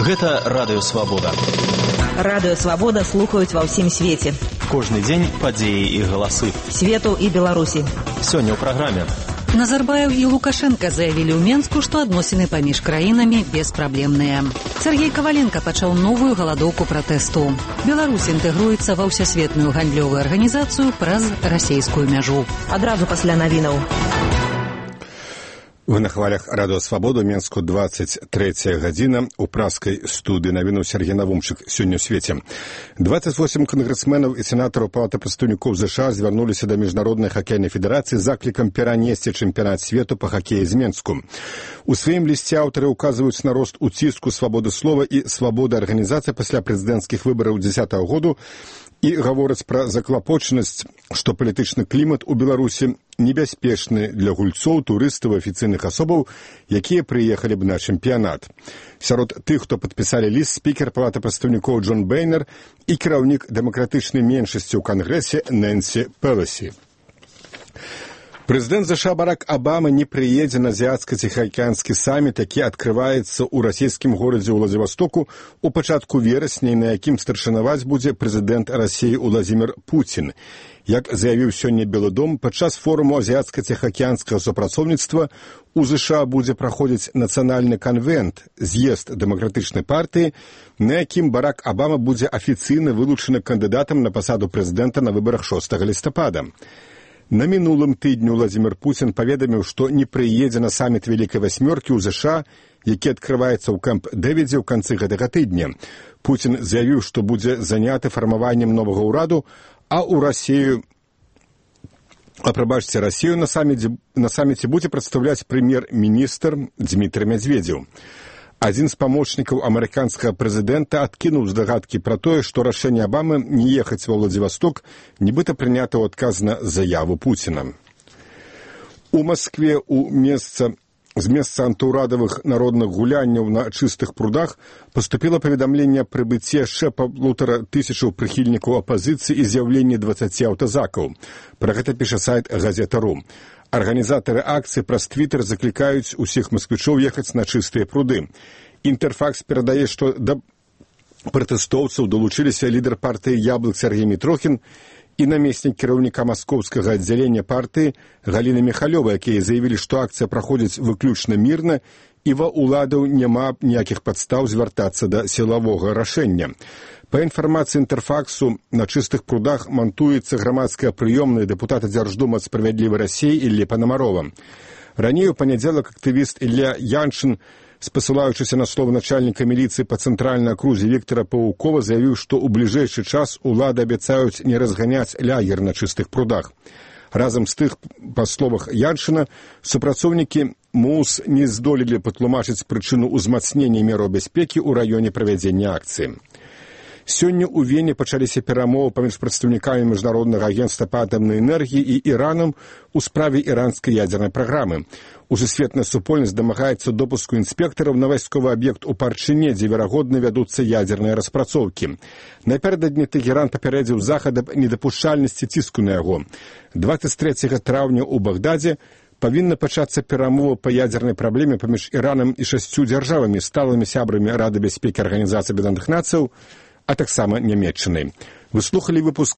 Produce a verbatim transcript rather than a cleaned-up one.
Гэта Радыё Свабода. Радыё Свабода слухаюць ва ўсім свеце. Кожны дзень падзеі і галасы. Свету і Беларусі. Сёння ў праграме. Назарбаев і Лукашенко заявілі ў Менску, што адносіны паміж краінамі беспраблемныя. Сергей Каваленко пачаў новую галадоўку пратэсту. Беларусь інтэгруецца ва ўсесветную гандлёвую арганізацыю праз расейскую мяжу. Адразу пасля навінаў. Вы на хвалях Радыё Свабода, Менску, двадцать третья гадзіна. У праскай студыі навіну Сергей Навумчык сёння ў свеце. двадцать восемь кангрэсменаў і сенатараў Палаты прадстаўнікоў ЗША звярнуліся да Міжнароднай хакейнай федэрацыі з заклікам перанесці чэмпіянат свету па хакеі з Менску. У сваім лісце аўтары ўказваюць на рост уціску свабоды слова і свабоды арганізацыі пасля прэзідэнцкіх выбараў дзесятага году і гавораць пра заклапочанасць, што палітычны клімат у Беларусі небяспечны для гульцоў, турыстаў, афіцыйных асобаў, якія прыехалі б на чэмпіянат. Сярод тых, хто падпісалі ліст, спікер Палаты прадстаўнікоў Джон Бейнер і кіраўнік дэмакратычнай меншасці ў Кангрэсе Нэнсі Пеласі. Прэзідэнт ЗША Барак Абама не прыедзе на азіяцка-ціхаакіянскі саміт, які адкрываецца ў расійскім горадзе Ўладзівастоку ў пачатку верасня, на якім старшынаваць будзе прэзідэнт Расіі Уладзімір Пуцін. Як заявіў сёння Белы дом, падчас форуму азіяцка-ціхаакіянскага супрацоўніцтва у ЗША будзе праходзіць нацыянальны канвент, з'езд дэмакратычнай партыі, на якім Барак Абама будзе афіцыйна вылучаны кандыдатам на пасаду прэзідэнта на выбарах шостага лістапада. На мінулым тыдню Уладзімір Пуцін паведаміў, што не прыедзе на саміт Вялікай васьмёркі ў ЗША, які адкрываецца ў Кэмп-Дэвідзе ў канцы гэтага тыдня. Пуцін заявіў, што будзе заняты фармаваннем новага ўраду, а ў Расію, а прабачце, Расію на саміце, на саміце будзе прадстаўляць прэм'ер-міністр Дзмітрый Мядзведзеў. Адзін з памочнікаў амерыканскага прэзідэнта адкінуў здагадкі пра тое, што рашэнне Абамы не ехаць ва Ўладзівасток нібыта прынята ў адказ на заяву Пуціна. У Маскве у месца з месца антыўрадавых народных гулянняў на чыстых прудах паступіла паведамленне аб прыбыцці яшчэ паўтара тысячаў прыхільнікаў апазіцыі і з'яўленні дваццаці аўтазакаў. Пра гэта піша сайт газета.ру. Арганізатары акцыі праз твітер заклікаюць усіх масквічоў ехаць на чыстыя пруды. Інтэрфакс перадае, што да пратэстоўцаў далучыліся лідар партыі «Яблык» Сергей Мітрохін і намеснік кіраўніка маскоўскага аддзялення партыі Галіна Міхалёва, якія заявілі, што акцыя праходзіць выключна мірна і ва ўладаў няма ніякіх падстаў звяртацца да сілавога рашэння. Па інфармацыі Інтэрфаксу, на чыстых прудах мантуецца грамадская прыёмная дэпутата Дзярждума «Справядлівай Расіі» Іллі Панамарова. Раней у панядзелак актывіст Ілля Яншын, спасылаючыся на словы начальніка міліцыі па цэнтральнай акрузе Віктара Паўкова, заявіў, што ў бліжэйшы час улады абяцаюць не разганяць лягер на чыстых прудах. Разам з тых, па словах Яншына, супрацоўнікі МУС не здолелі патлумачыць прычыну ўзмацнення мераў бяспекі ў раёне правядзення акцыі. Сёння ў Вене пачаліся перамовы паміж прадстаўнікамі Міжнароднага агенцтва па атамнай энергіі і Іранам у справе іранскай ядзернай праграмы. Усесветная супольнасць дамагаецца допуску інспектараў на вайсковы аб'ект у Парчыне, дзе, верагодна, вядуцца ядзерныя распрацоўкі. Напярэдадні Тэгеран папярэдзіў захад аб недапушчальнасці ціску на яго. дваццаць трэцяга траўня ў Багдадзе павінна пачацца перамова па ядзернай праблеме паміж Іранам і шасцю дзяржавамі, сталымі сябрамі Рады бяспекі Арганізацыі Аб'яднаных Нацыяў, а таксама Нямецчынай. Вы слухалі выпуск